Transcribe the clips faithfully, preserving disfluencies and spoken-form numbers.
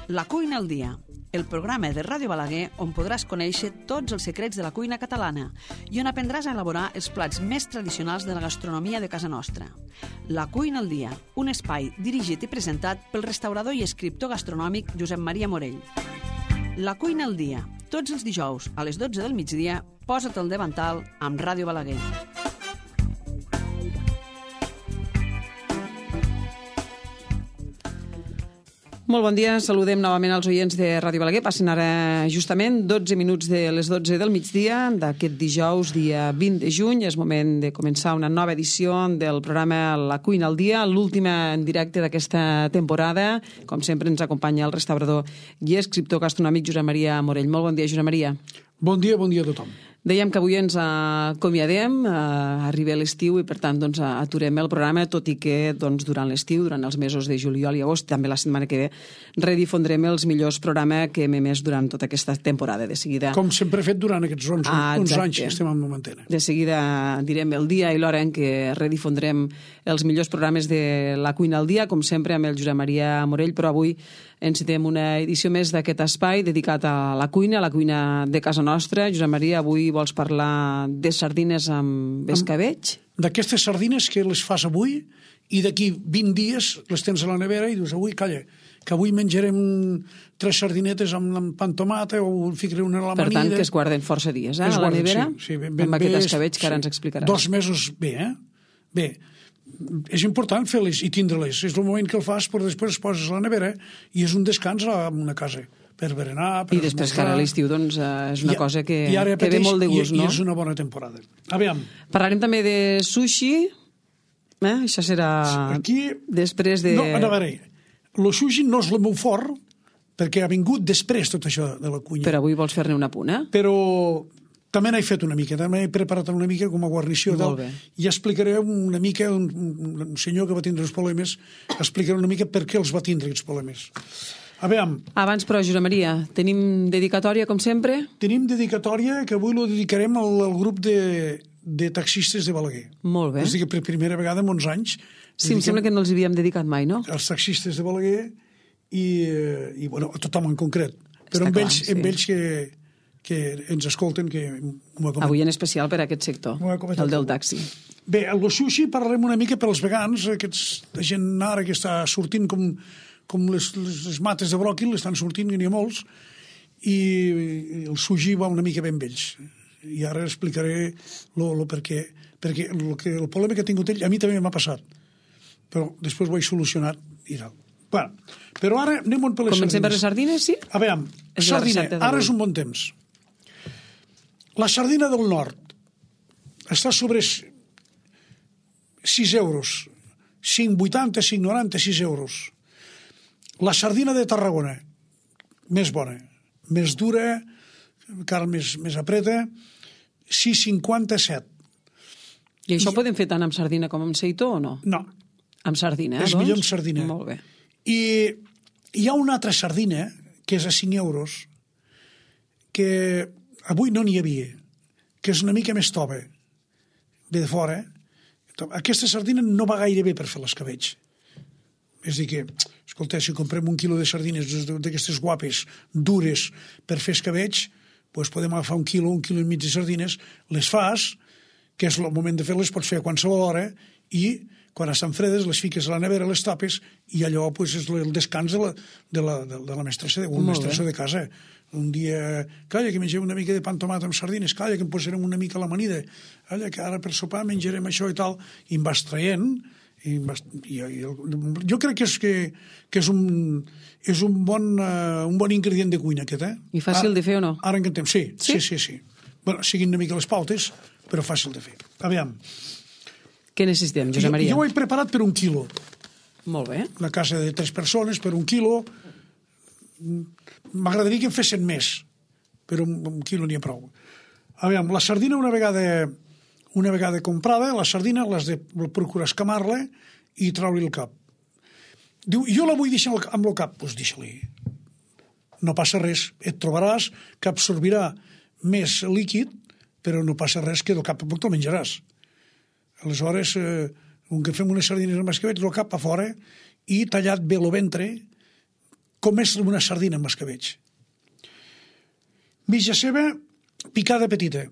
La cuina al dia, el programa de Ràdio Balaguer on podràs conèixer tots els secrets de la cuina catalana i on aprendràs a elaborar els plats més tradicionals de la gastronomia de casa nostra. La cuina al dia, un espai dirigit i presentat pel restaurador i escriptor gastronòmic Josep Maria Morell. La cuina al dia, tots els dijous a les dotze del migdia, posa't al davantal amb Ràdio Balaguer. Molt bon dia, saludem novament als oients de Ràdio Balaguer. Passen ara justament dotze minuts de les dotze del migdia d'aquest dijous, dia vint de juny. És moment de començar una nova edició del programa La cuina al dia, l'última en directe d'aquesta temporada. Com sempre ens acompanya el restaurador i escriptor gastronòmic Josep Maria Morell. Molt bon dia, Josep Maria. Bon dia, bon dia a tothom. Dèiem que avui ens acomiadem, arriba l'estiu i per tant doncs, aturem el programa, tot i que doncs, durant l'estiu, durant els mesos de juliol i agost, també la setmana que ve, redifondrem els millors programes que hem emès durant tota aquesta temporada. De seguida... Com sempre he fet durant aquests onze, ah, onze anys que estem en antena. De seguida direm el dia i l'hora en què redifondrem els millors programes de La cuina al dia, com sempre amb el Josep Maria Morell, però avui encetem una edició més d'aquest espai dedicat a la cuina, a la cuina de casa nostra. Josep Maria, avui vols parlar de sardines amb escabeig? D'aquestes sardines que les fas avui i d'aquí vint dies les tens a la nevera i dius, avui, calla, que avui menjarem tres sardinetes amb, amb pa amb tomata o ficaré una a l'amanida. Per tant, que es guarden força dies, eh, a la nevera, sí, sí, ben, ben, amb aquest bé, escabeig que ara sí, ens explicaràs. Dos mesos bé, eh? Bé, és important fer-les i tindre-les. És el moment que el fas, però després es poses a la nevera i és un descans en una casa per berenar, per I després esmorzar. que ara l'estiu doncs, és una I, cosa que, que ve molt de gust, i, no? I és una bona temporada. Aviam. Parlarem també de sushi, eh? Això serà aquí, després de... No, a veure, el sushi no és el meu fort, perquè ha vingut després tot això de la cuina. Però avui vols fer-ne una punt, eh? Però també n'he fet una mica, també he preparat una mica com a guarnició. Molt bé. I explicaré una mica, un, un senyor que va tindre els problemes, explicaré una mica per què els va tindre aquests problemes. A veure... Abans, però, Josep Maria, tenim dedicatòria, com sempre? Tenim dedicatòria que avui lo dedicarem al, al grup de, de taxistes de Balaguer. Molt bé. És a dir, que per primera vegada en onze anys... Sí, em sembla que no els havíem dedicat mai, no? Els taxistes de Balaguer i, i bueno, a tothom en concret. Però Està amb clar, ells, sí. amb ells que, que ens escolten, que m'ho ha Avui en especial per a aquest sector, el del taxi. Bé, el sushi parlarem una mica per als vegans, aquests, la gent ara que està sortint com, com les, les, les mates de bròquil, estan sortint, que n'hi ha molts, i el sushi va una mica ben vells. I ara explicaré lo, lo perquè, perquè el, que, el problema que ha tingut ell, a mi també m'ha passat, però després ho he solucionat i tal. Bueno, però ara anem per les Comencem sardines. per les sardines, sí? A veure, És sardina, ara és un bon temps. La sardina del nord està sobre sis euros, cinc vuitanta, cinc noranta, sis euros. La sardina de Tarragona, més bona, més dura, encara més, més apreta, sis cinquanta, set. I això I... podem fer tant amb sardina com amb seitó o no? No. Amb sardina, eh, és doncs? millor amb sardina. Molt bé. I hi ha una altra sardina, que és a cinc euros, que avui no n'hi havia, que és una mica més tova, ve de fora. Aquesta sardina no va gaire bé per fer l'escabeig. És a dir que, escolta, si comprem un quilo de sardines d'aquestes guapes, dures, per fer escabeig, doncs podem agafar un quilo, un quilo i mig de sardines, les fas, que és el moment de fer-les, pots fer a qualsevol hora, i quan estan fredes les fiques a la nevera, les tapes, i allò pues, és el descans de la, de la, de la mestressa, de, o mestressa de casa. Un dia, calla, que mengem una mica de pa amb tomata amb sardines, calla, que em posarem una mica a l'amanida, calla, que ara per sopar menjarem això i tal, i em vas traient, i em vas, i, i el, jo crec que és, que, que és, un, és un, bon, uh, un bon ingredient de cuina, aquest, eh? I fàcil ara, de fer o no? Ara encantem, sí, sí, sí, sí. sí. Bueno, siguin una mica les pautes, però fàcil de fer. Aviam. Què necessitem, Josep Maria? Jo, jo ho he preparat per un quilo. Molt bé. La casa de tres persones, per un quilo. M'agradaria que en fessin més, però un, un quilo n'hi ha prou. Aviam, la sardina una vegada, una vegada comprada, la sardina l'has de procurar escamar-la i treure-li el cap. Diu, jo la vull deixar amb el cap. Doncs deixa-li. No passa res. Et trobaràs que absorbirà més líquid, però no passa res, que del cap poc te'l menjaràs. Aleshores, eh, un que fem unes sardines amb escabeig, el cap a fora, i tallat bé el ventre, com és una sardina amb escabetx. Mitja ceba picada petita,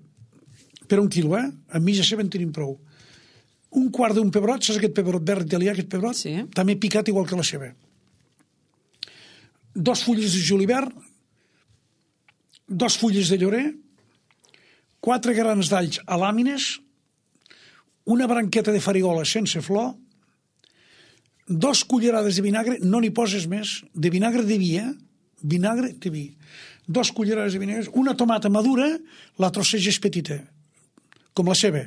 per un quilo, eh? Amb mitja ceba en tenim prou. Un quart d'un pebrot, saps aquest pebrot verd italià, aquest pebrot? Sí. També picat igual que la ceba. Dos fulles de julivert, dos fulles de llorer, quatre grans d'alls a làmines, una branqueta de farigola sense flor, dos cullerades de vinagre, no n'hi poses més, de vinagre de vi, eh? Vinagre de vi. Dos cullerades de vinagre, una tomata madura, la trosseges petita, com la ceba.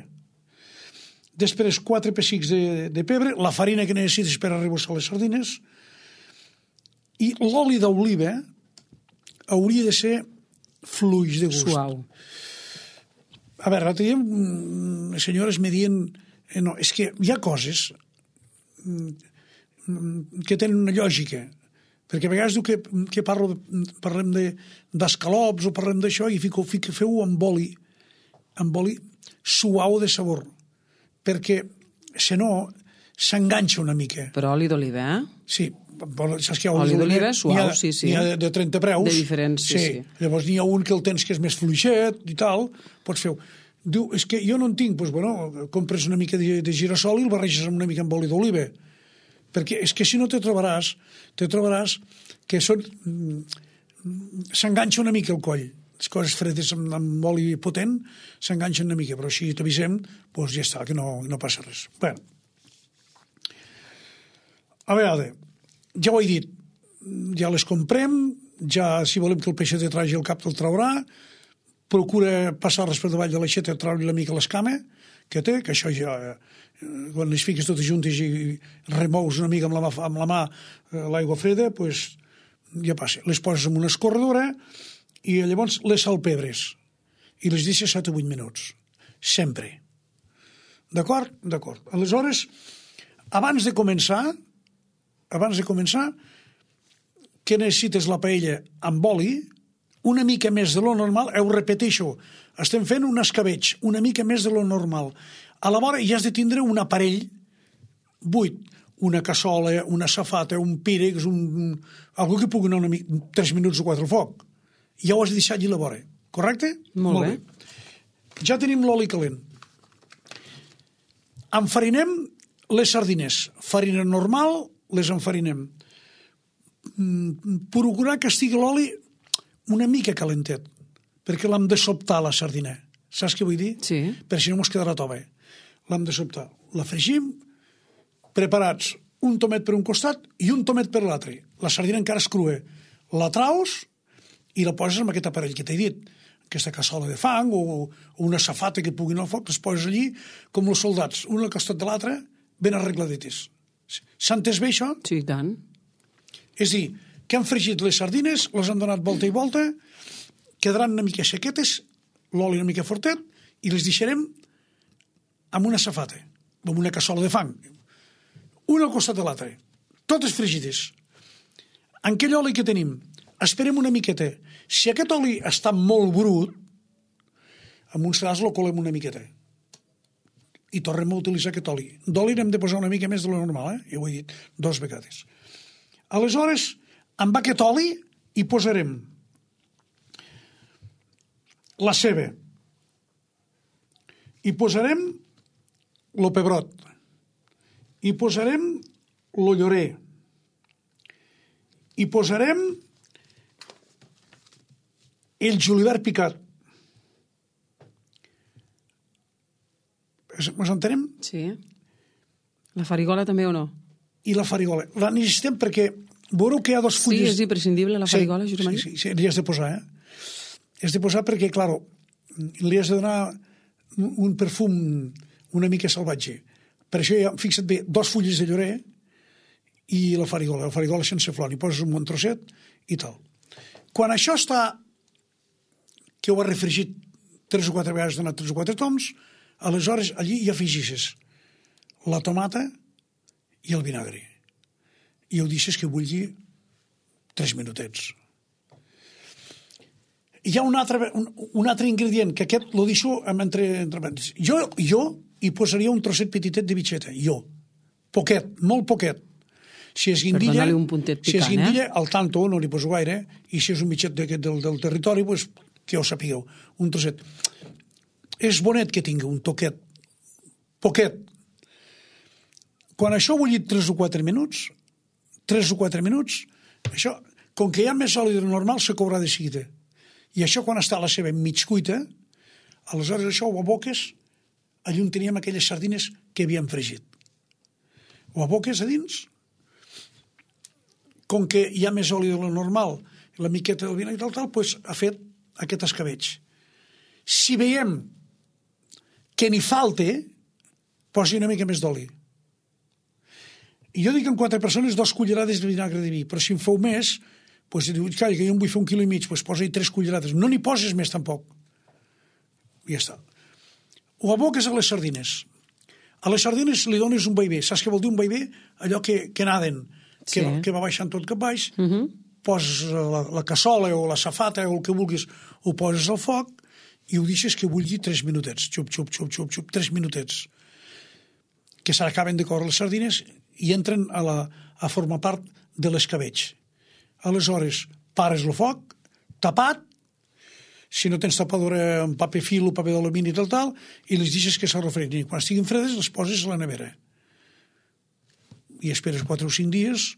Després, quatre pessics de, de pebre, la farina que necessites per arrebossar les sardines, i l'oli d'oliva hauria de ser fluix de gust. Suau. A veure, l'altre dia les senyores me diuen eh, no, és que hi ha coses que tenen una lògica, perquè a vegades diu que, que parlo, parlem d'escalops de, o parlem d'això i fico, fico, feu amb oli, amb oli suau de sabor, perquè si no s'enganxa una mica. Però oli d'oliva, eh? Sí, saps que hi ha oli d'oliva suau, ha, sí, sí. N'hi ha de, de trenta preus. De diferents, sí, sí. sí. Llavors n'hi ha un que el tens que és més fluixet i tal, pots fer... Diu, és que jo no en tinc, doncs, bueno, compres una mica de, de girassol i el barreges una mica amb oli d'oliva. Perquè és que si no te trobaràs, te trobaràs que són... s'enganxa una mica el coll. Les coses fredes amb, amb oli potent s'enganxen una mica, però si t'avisem, doncs ja està, que no, no passa res. Bé. A veure, ja ho he dit, ja les comprem, ja si volem que el peixet de tragi el cap te'l traurà, procura passar-les per davall de l'aixeta, treure una mica l'escama que té, que això ja, quan les fiques totes juntes i remous una mica amb la mà, amb la mà l'aigua freda, doncs ja passa. Les poses en una escorredora i llavors les salpebres i les deixes set o vuit minuts. Sempre. D'acord? D'acord. Aleshores, abans de començar, abans de començar, que necessites la paella amb oli, una mica més de lo normal, ho repeteixo, estem fent un escabetx, una mica més de lo normal. A la vora ja has de tindre un aparell buit, una cassola, una safata, un pírex, un... algú que pugui anar una mica, tres minuts o quatre al foc. Ja ho has de deixar allí a la vora, correcte? Molt, Molt bé. bé. Ja tenim l'oli calent. Enfarinem les sardines. Farina normal, les enfarinem. Procurar que estigui l'oli una mica calentet, perquè l'hem de sobtar, la sardina. Saps què vull dir? Sí. Per si no mos quedarà tova. L'hem de sobtar. La fregim, preparats un tomet per un costat i un tomet per l'altre. La sardina encara és crua. La traus i la poses en aquest aparell que t'he dit. Aquesta cassola de fang o, o una safata que puguin al foc, les poses allí com els soldats, un al costat de l'altre, ben arregladetes. S'ha entès bé, això? Sí, i tant. És a dir, que han fregit les sardines, les han donat volta i volta, quedaran una mica sequetes, l'oli una mica fortet, i les deixarem amb una safata, amb una cassola de fang, una al costat de l'altre, totes fregides. En aquell oli que tenim, esperem una miqueta. Si aquest oli està molt brut, amb un sedàs lo colem una miqueta. I tornem a utilitzar aquest oli. D'oli n'hem de posar una mica més de lo normal, eh? Ja ho he dit dos vegades. Aleshores, amb aquest oli hi posarem la ceba, hi posarem el pebrot, hi posarem el llorer, hi posarem el julivert picat. Ens entenem? Sí. La farigola també o no? I la farigola. La necessitem perquè veureu que hi ha dos fulles... Sí, és imprescindible la farigola, sí, Josep Maria? Sí, sí, sí, li has de posar, eh? Has de posar perquè, clar, li has de donar un perfum una mica salvatge. Per això, ja, fixa't bé, dos fulles de llorer i la farigola. La farigola sense flor. Hi poses un bon trosset i tal. Quan això està... que ho has refregit tres o quatre vegades, donat tres o quatre toms, aleshores allí hi afegixes la tomata i el vinagre. I ho deixes que bulli tres minutets. Hi ha un altre, un, un altre ingredient, que aquest lo deixo entre, entre... Jo, jo hi posaria un trosset petitet de bitxeta, jo. Poquet, molt poquet. Si és guindilla, per donar-li un puntet picant, si és guindilla eh? al tanto no li poso gaire, i si és un mitjet del, del territori, pues, que ho sapigueu, un trosset. És bonet que tingui un toquet, poquet. Quan això ha bullit tres o quatre minuts, tres o quatre minuts, això, com que hi ha més oli del normal, se courà de seguida. I això, quan està la seva mig cuita, aleshores això ho aboques, allà on teníem aquelles sardines que havíem fregit. Ho aboques a dins, com que hi ha més oli de lo normal, la miqueta del vinagre i tal, tal, doncs ha fet aquest escabeig. Si veiem que n'hi falta, posi una mica més d'oli. I jo dic en quatre persones dos cullerades de vinagre de vi, però si en feu més, doncs diu, calla, que jo en vull fer un quilo i mig, doncs posa-hi tres cullerades. No n'hi poses més tampoc. I ja està. Ho aboques a les sardines. A les sardines li dones un vaivé. Saps què vol dir un vaivé? Allò que, que naden, que, sí. que va baixant tot cap baix, uh -huh. poses la, la cassola o la safata o el que vulguis, ho poses al foc i ho deixes que bulli tres minutets. Xup, xup, xup, xup, xup, tres minutets. Que s'acaben de córrer les sardines i entren a, la, a formar part de l'escabeig. Aleshores, pares el foc, tapat, si no tens tapadora amb paper fil o paper d'alumini i tal, tal, i les deixes que s'arrefredin. Quan estiguin fredes, les poses a la nevera. I esperes quatre o cinc dies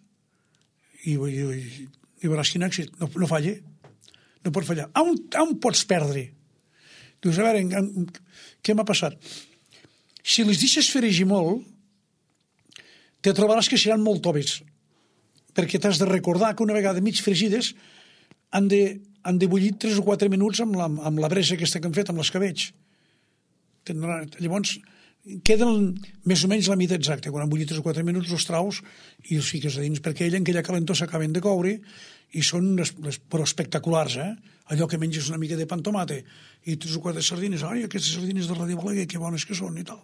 i, i, i, i veuràs quin èxit. No, no falla. No pot fallar. On, on pots perdre? Dius, a veure, en, en, què m'ha passat? Si les deixes fregir molt, te trobaràs que seran molt toves, perquè t'has de recordar que una vegada mig fregides han de, han de bullir tres o quatre minuts amb la, amb la bresa aquesta que han fet, amb l'escabeig. Llavors, queden més o menys la mida exacta. Quan han bullit tres o quatre minuts, els traus i els fiques a dins, perquè ella en aquella calentor s'acaben de coure i són les, les, però espectaculars, eh? Allò que menges una mica de pa amb tomate i tres o quatre sardines, ai, aquestes sardines de Ràdio Balaguer, que bones que són i tal.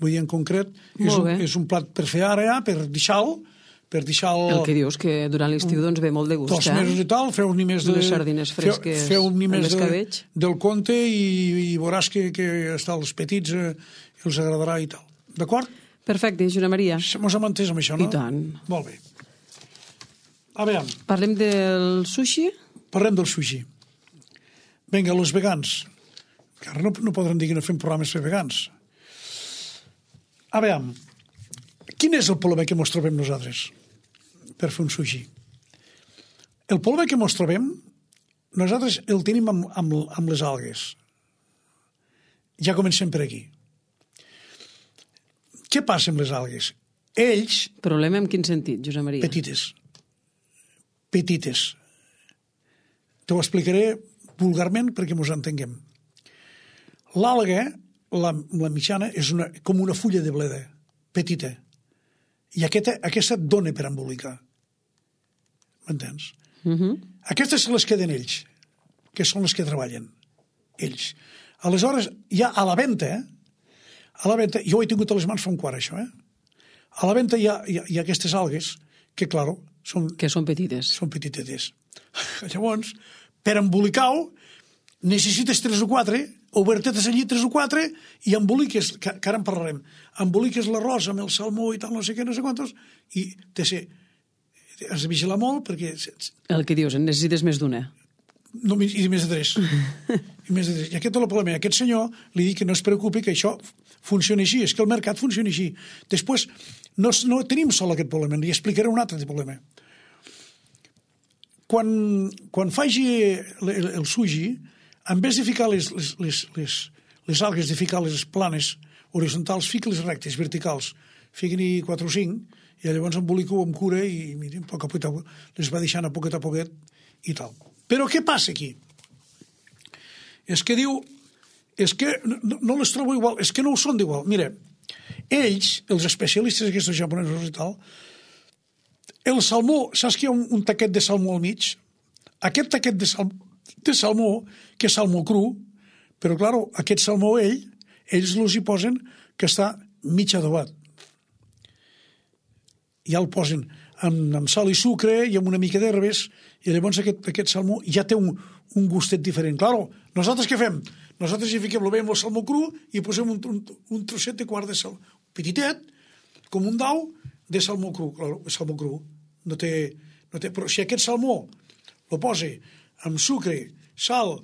Vull dir, en concret, és un, és un plat per fer ara, ja, per deixar-lo, per deixar-lo... El que dius, que durant l'estiu doncs ve molt de gust, dos eh? mesos i tal, feu-n'hi més de... Les sardines fresques feu, feu més de, del conte i, i veuràs que, que hasta els petits eh, els agradarà i tal. D'acord? Perfecte, Joana Maria. Mos hem entès amb això, no? I tant. Molt bé. A veure... Parlem del sushi? Parlem del sushi. Vinga, els vegans. Que ara no, no podran dir que no fem programes per vegans. A veure, quin és el problema que ens trobem nosaltres per fer un sushi? El problema que ens trobem, nosaltres el tenim amb, amb, amb les algues. Ja comencem per aquí. Què passa amb les algues? Ells... Problema en quin sentit, Josep Maria? Petites. Petites. Te ho explicaré vulgarment perquè ens entenguem. L'alga, la, la mitjana, és una, com una fulla de bleda, petita. I aquesta, aquesta et dona per embolicar. M'entens? Uh -huh. Aquestes se les queden ells, que són les que treballen. Ells. Aleshores, ja a la venda, eh? a la venda, jo ho he tingut a les mans fa un quart, això, eh? A la venda hi ha, hi ha, hi ha aquestes algues que, claro, són... Que són petites. Són petitetes. Llavors, per embolicar-ho, necessites tres o quatre, obertetes allí tres o quatre, i emboliques, que, que ara en parlarem, emboliques l'arròs amb el salmó i tal, no sé què, no sé quantos, i te sé, has de vigilar molt perquè... El que dius, en necessites més d'una. No, i més de tres. I més de tres. I aquest és el problema. Aquest senyor li dic que no es preocupi, que això funciona així, és que el mercat funciona així. Després, no, no tenim sol aquest problema, li explicaré un altre problema. Quan, quan faci el, el, el sushi, en vez de ficar les, les, les, les, les algues, de ficar les planes horitzontals, fica-les rectes, verticals. Fiquen-hi quatre o cinc, i llavors embolico amb cura i, mira, a poc a poc les va deixant a poquet a poquet i tal. Però què passa aquí? És que diu, és que no, no les trobo igual, és que no ho són d'igual. Mira, ells, els especialistes aquests japonesos i tal, el salmó, saps que hi ha un, un taquet de salmó al mig? Aquest taquet de, sal, de salmó, que és salmó cru, però, clar, aquest salmó, ell, ells els hi posen que està mig adobat. Ja el posen amb, amb sal i sucre i amb una mica d'herbes, i llavors aquest, aquest salmó ja té un, un gustet diferent. Claro, nosaltres què fem? Nosaltres hi fiquem bé amb el salmó cru i posem un, un, un trosset de quart de sal, petitet, com un dau, de salmó cru, claro, salmó cru, no té, no té, però si aquest salmó lo posa amb sucre, sal,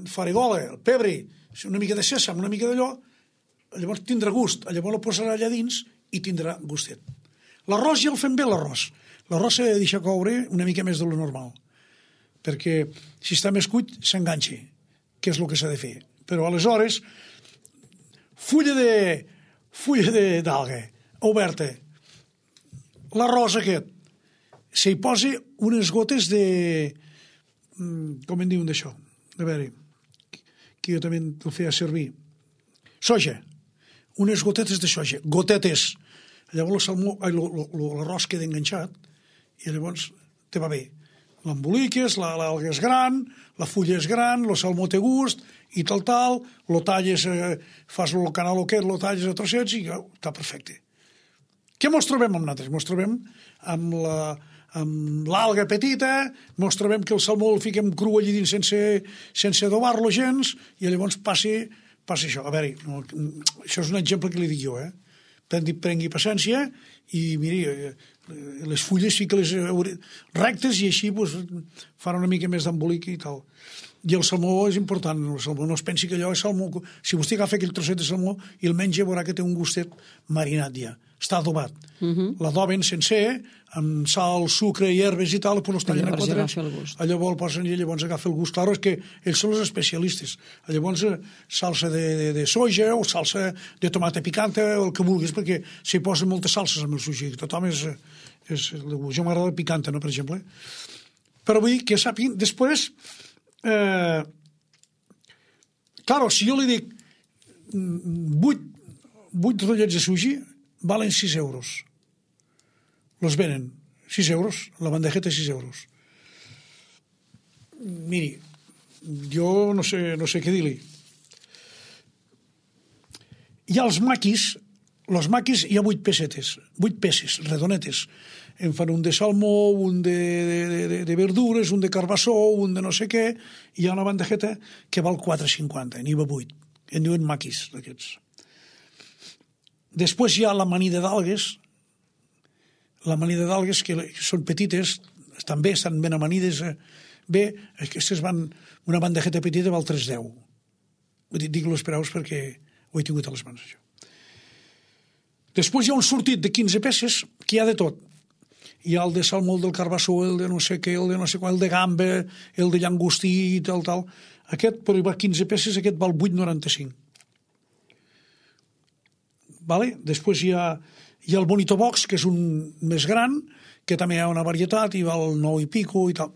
farigola, pebre, una mica de sèsam, una mica d'allò, llavors tindrà gust, llavors lo posarà allà dins i tindrà gustet. L'arròs ja el fem bé, l'arròs. L'arròs s'ha de deixar coure una mica més de lo normal, perquè si està més cuit s'enganxa, que és el que s'ha de fer. Però aleshores, fulla de fulla d'alga oberta, l'arròs aquest, s'hi posa unes gotes de... com en diuen d'això? A veure, que jo també el feia servir. Soja. Unes gotetes de soja. Gotetes. Llavors l'arròs queda enganxat i llavors te va bé. L'emboliques, l'alga és gran, la fulla és gran, el salmó té gust i tal, tal, lo talles, eh, fas el canal aquest, lo talles a trossets i oh, està perfecte. Què mos trobem amb nosaltres? Mos trobem amb la amb l'alga petita, mos trobem que el salmó el fiquem cru allí dins sense, sense adobar-lo gens i llavors passi, passi això. A veure, no, això és un exemple que li dic jo, eh? Prengui, prengui paciència i miri, les fulles fica-les rectes i així pues, farà una mica més d'embolic i tal. I el salmó és important, el salmó no es pensi que allò és salmó, si vostè agafa aquell trosset de salmó i el menja veurà que té un gustet marinat ja, està adobat. Uh-huh. L'adoben sencer, amb sal, sucre i herbes i tal, pues els tallen a quadrats, llavors el posen i llavors agafa el gust. Claro, és que ells són els especialistes. Llavors salsa de, de, de soja o salsa de tomata picante o el que vulguis, perquè s'hi posen moltes salses amb el sushi. Tothom és... és jo m'agrada el picante, no, per exemple. Però vull dir que sàpiguen, després... Eh, claro, si jo li dic vuit, vuit rotllets de sushi valen sis euros. Los venen. sis euros. La bandejeta sis euros. Miri, jo no sé, no sé què dir-li. Hi ha els maquis, los maquis hi ha vuit pessetes, vuit peces, redonetes. En fan un de salmó, un de, de, de, de verdures, un de carbassó, un de no sé què, i hi ha una bandejeta que val quatre cinquanta, n'hi va vuit. En diuen maquis, d'aquests. Després hi ha l'amanida d'algues, l'amanida d'algues que són petites, també estan ben amanides, bé, aquestes van, una bandejeta petita val tres deu. Vull dir, dic-lo esperaus perquè ho he tingut a les mans, això. Després hi ha un sortit de quinze peces que hi ha de tot. Hi ha el de salmó, el del carbassó, el de no sé què, el de no sé qual, el de gamba, el de llangostí i tal, tal. Aquest, però hi va quinze peces, aquest val vuit noranta-cinc. Vale? Després hi ha, hi ha el Bonito Box, que és un més gran, que també hi ha una varietat i val nou i pico i tal.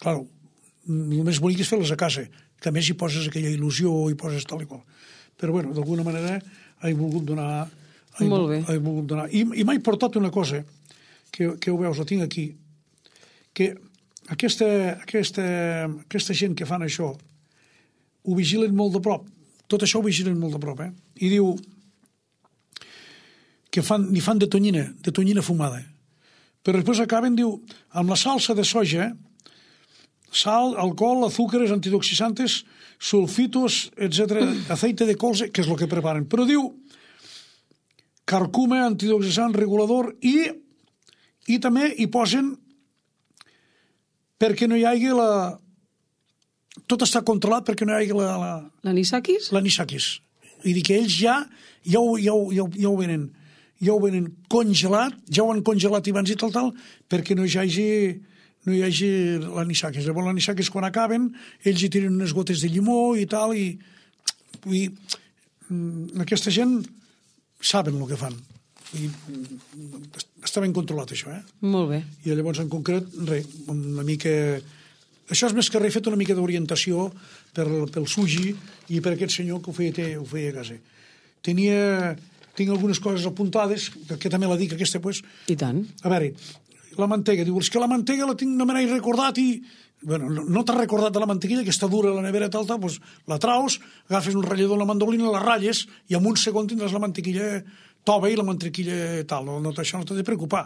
Claro, el més bonic és fer-les a casa, que a més hi poses aquella il·lusió i poses tal i qual. Però bueno, d'alguna manera he volgut donar... He, Molt bé. He volgut donar. I, i m'ha portat una cosa, que, que ho veus, la tinc aquí, que aquesta, aquesta, aquesta gent que fan això ho vigilen molt de prop. Tot això ho vigilen molt de prop, eh? I diu que fan, ni fan de tonyina, de tonyina fumada. Però després acaben, diu, amb la salsa de soja, sal, alcohol, azúcares, antioxidantes, sulfitos, etcètera, aceite de colza, que és el que preparen. Però diu carcuma, antioxidant, regulador i, i també hi posen perquè no hi hagi la... Tot està controlat perquè no hi hagi la... La, L'anisakis? L'anisakis. I dir que ells ja, ja, ho, ja, ho, ja, ho, ja ho venen ja ho venen congelat, ja ho han congelat abans i tal, tal, perquè no hi hagi, no hi hagi l'anisakis. Llavors l'anisakis quan acaben, ells hi tiren unes gotes de llimó i tal, i, i aquesta gent saben el que fan. I està ben controlat, això, eh? Molt bé. I llavors, en concret, res, una mica... Això és més que res fet una mica d'orientació per, pel sushi i per aquest senyor que ho feia, ho feia a casa. Tenia... Tinc algunes coses apuntades, que també la dic aquesta, pues... I tant. A veure, la mantega. Diu, és que la mantega la tinc, no me n'he recordat i... Bueno, no, no t'has recordat de la mantequilla, que està dura a la nevera, tal, tal, doncs la traus, agafes un ratllador, la mandolina, la ratlles, i en un segon tindràs la mantequilla tova i la mantequilla tal. No, no, això no t'ha de preocupar.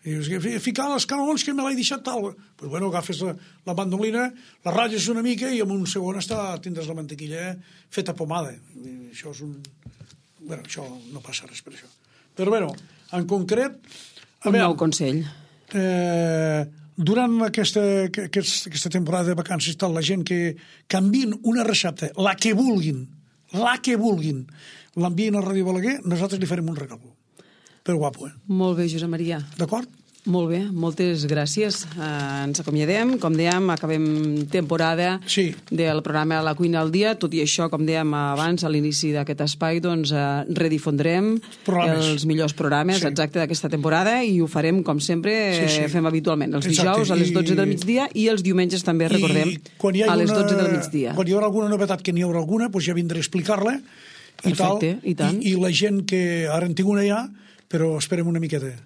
I dius, ficar les canelons que me l'he deixat tal. Pues bueno, agafes la, la mandolina, la ratlles una mica i en un segon està, tindràs la mantequilla feta pomada. I això és un... Bueno, això no passa res per això. Però, bueno, en concret... Un nou consell. Eh, durant aquesta, aquest, aquesta temporada de vacances tal, la gent que canvien una recepta, la que vulguin, la que vulguin, l'envien a Ràdio Balaguer, nosaltres li farem un regal. Per guapo, eh? Molt bé, Josep Maria. D'acord? Molt bé, moltes gràcies. Uh, ens acomiadem, com dèiem, acabem temporada sí. del programa La Cuina al Dia, tot i això, com dèiem abans, a l'inici d'aquest espai, doncs uh, redifondrem programes. els millors programes, sí. exacte, d'aquesta temporada, i ho farem, com sempre, sí, sí. fem habitualment, els exacte. dijous a les dotze del migdia i els diumenges també, I recordem, a les dotze del migdia. Quan hi haurà alguna novetat, que n'hi haurà alguna, doncs ja vindré a explicar-la, i, Perfecte, tal, i, tant. I, i la gent que ara en tinc una ja, però esperem una miqueta.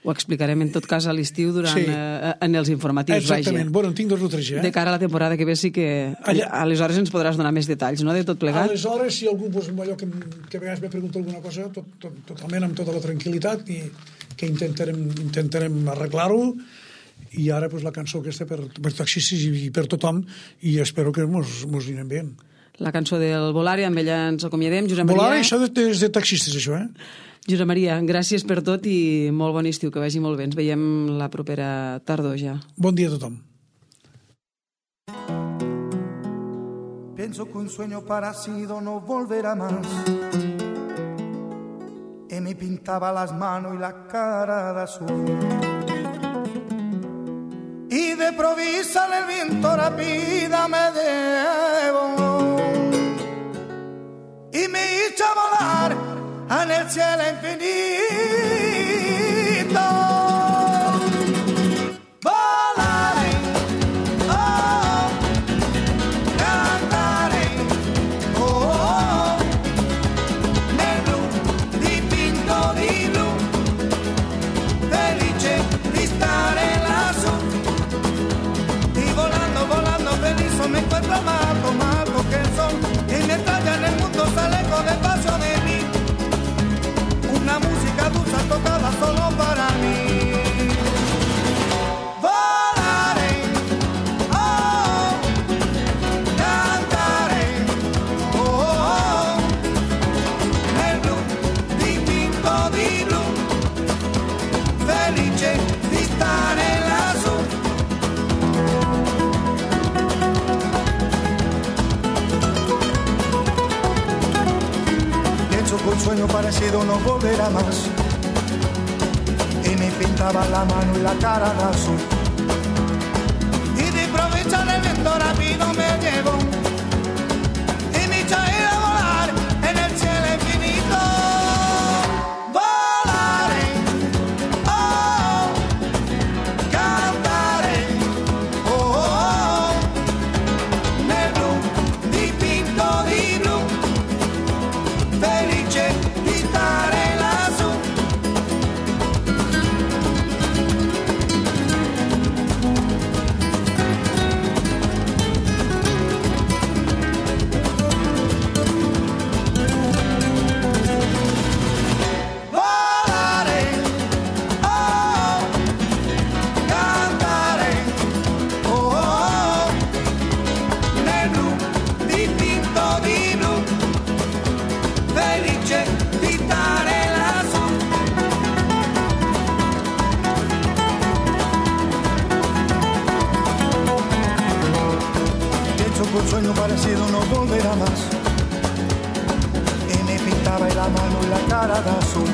Ho explicarem en tot cas a l'estiu durant sí. eh, en els informatius. Exactament, vaja. bueno, en tinc dos o tres ja. Eh? De cara a la temporada que ve sí que Allà... aleshores ens podràs donar més detalls, no?, de tot plegat. Aleshores, si algú, pues, allò que, que a vegades me pregunta alguna cosa, tot, tot, totalment amb tota la tranquil·litat, i que intentarem, intentarem arreglar-ho, i ara pues, la cançó aquesta per, per taxistes i per tothom, i espero que mos, mos anirem bé. La cançó del Volare, amb ella ens acomiadem. Josep Maria... Volare, això és de taxistes, això, eh? Josep Maria, gràcies per tot i molt bon estiu, que vagi molt bé. Ens veiem la propera tardor ja. Bon dia a tothom. Pienso que un sueño parecido no volverá más. Y me pintaba las manos y la cara de azul. Y de provisa el viento rápida me llevó. Y me hizo volar en el cielo infinito. Volaré, oh, cantaré, oh, oh, nel blu dipinto di blu, felice di stare lassù. Y volando, volando feliz me encuentro amado, amado que son. Y mientras ya en el mundo se lejos despacio de mí, una música dulce tocada solo para mí. Volaré, oh, cantaré, oh, oh, nel blu dipinto di blu, felice di stare lassù. Un sueño parecido no volverá más. Y me pintaba la mano y la cara de azul. Y de improviso el viento rápido me llevó. Y me hizo ir a volar en el cielo infinito. Volaré, oh, cantaré, oh, oh, nel blu dipinto di blu, felice di stare lassù. Volare, oh, cantare, oh, oh, nel blu dipinto di blu, felice di stare lassù. Pienso que un sueño parecido no volverá más. Y me pintaba la mano y la cara de azul.